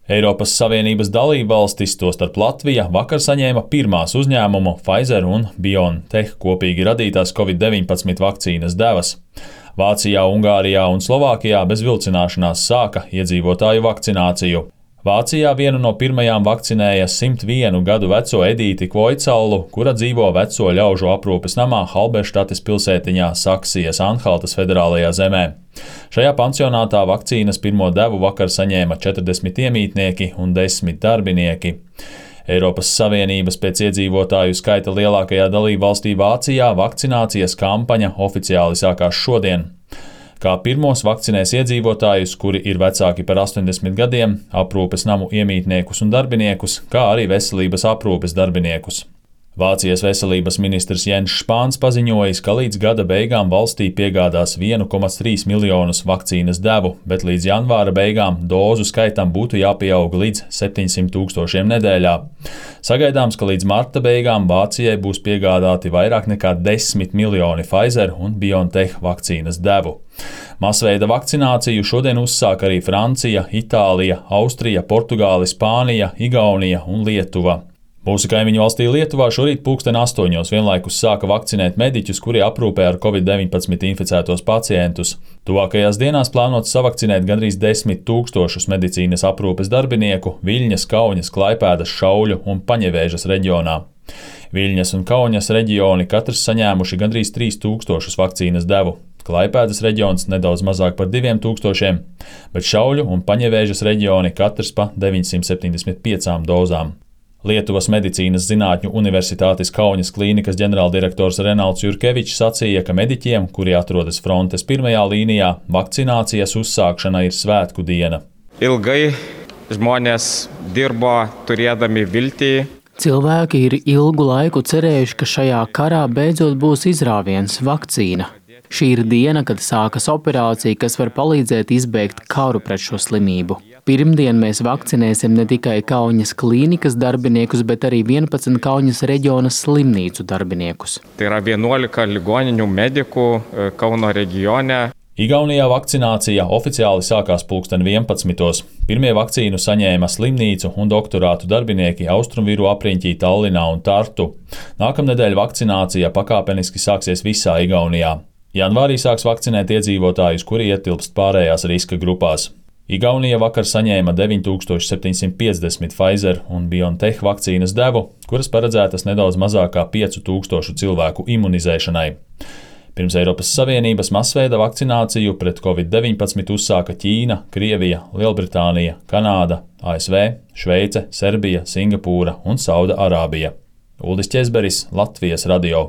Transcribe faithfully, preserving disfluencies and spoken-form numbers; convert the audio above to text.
Eiropas Savienības dalībvalstis, tostarp Latvija, vakar saņēma pirmās uzņēmumu Pfizer un BioNTech kopīgi radītās covid deviņpadsmit vakcīnas devas. Vācijā, Ungārijā un Slovākijā bez vilcināšanās sāka iedzīvotāju vakcināciju. Vācijā vienu no pirmajām vakcinēja simt vienu gadu veco Edīti Kvoicalu, kura dzīvo veco ļaužu aprūpes namā Halberštates pilsētiņā Saksijas Anhaltas federālajā zemē. Šajā pansionātā vakcīnas pirmo devu vakar saņēma četrdesmit iemītnieki un desmit darbinieki. Eiropas Savienības pēc iedzīvotāju skaita lielākajā dalībvalstī Vācijā vakcinācijas kampaņa oficiāli sākās šodien. Kā pirmos vakcinēs iedzīvotājus, kuri ir vecāki par astoņdesmit gadiem, aprūpes namu iemītniekus un darbiniekus, kā arī veselības aprūpes darbiniekus. Vācijas veselības ministrs Jens Spāns paziņojis, ka līdz gada beigām valstī piegādās vienu komats trīs miljonus vakcīnas devu, bet līdz janvāra beigām dozu skaitam būtu jāpieaug līdz septiņsimt tūkstošiem nedēļā. Sagaidāms, ka līdz marta beigām Vācijai būs piegādāti vairāk nekā desmit miljoni Pfizer un BioNTech vakcīnas devu. Masveida vakcināciju šodien uzsāk arī Francija, Itālija, Austrija, Portugāle, Spānija, Igaunija un Lietuva. Mūsu kaimiņu valstī Lietuvā šorīt pulksten astoņos vienlaikus sāka vakcinēt mediķus, kuri aprūpē ar covid deviņpadsmit inficētos pacientus. Tuvākajās dienās plānots savakcinēt gandrīz desmit tūkstošus medicīnas aprūpes darbinieku Viļņas, Kauņas, Klaipēdas, Šauļu un Paņevēžas reģionā. Viļņas un Kauņas reģioni katrs saņēmuši gandrīz trīs tūkstošus vakcīnas devu. Klaipēdas reģions nedaudz mazāk par diviem tūkstošiem, bet Šauļu un Paņevēžas reģioni katrs pa deviņsimt septiņdesmit piecām dozām. Lietuvas medicīnas zinātņu universitātes Kauņas klīnikas ģenerāldirektors Renalds Jurkevičs sacīja, ka mediķiem, kuri atrodas frontes pirmajā līnijā, vakcinācijas uzsākšana ir svētku diena. Ilgai žmonės dirbo turėdami viltī. Cilvēki ir ilgu laiku cerējuši, ka šajā karā beidzot būs izrāviens, vakcīna. Šī ir diena, kad sākas operācija, kas var palīdzēt izbeigt karu pret šo slimību. Pirmdien mēs vakcinēsim ne tikai Kauņas klīnikas darbiniekus, bet arī vienpadsmit Kauņas reģiona slimnīcu darbiniekus. Tai yra vienuolika ligoninių medikų Kauno reģione. Igaunijā vakcinācija oficiāli sākās pulksten vienpadsmitos. Pirmie vakcīnu saņēma slimnīcu un doktorātu darbinieki Austrumviru apriņķī Tallinā un Tartu. Nākamnedēļ vakcinācija pakāpeniski sāksies visā Igaunijā. Janvārī sāks vakcinēt iedzīvotājus, kuri ietilpst pārējās riska grupās. Igaunija vakar saņēma deviņi tūkstoši septiņsimt piecdesmit Pfizer un BioNTech vakcīnas devu, kuras paredzētas nedaudz mazāk kā piecu tūkstošu cilvēku imunizēšanai. Pirms Eiropas Savienības masveida vakcināciju pret covid deviņpadsmit uzsāka Ķīna, Krievija, Lielbritānija, Kanāda, A S V, Šveice, Serbija, Singapūra un Sauda Arābija. Uldis Ķezberis, Latvijas radio.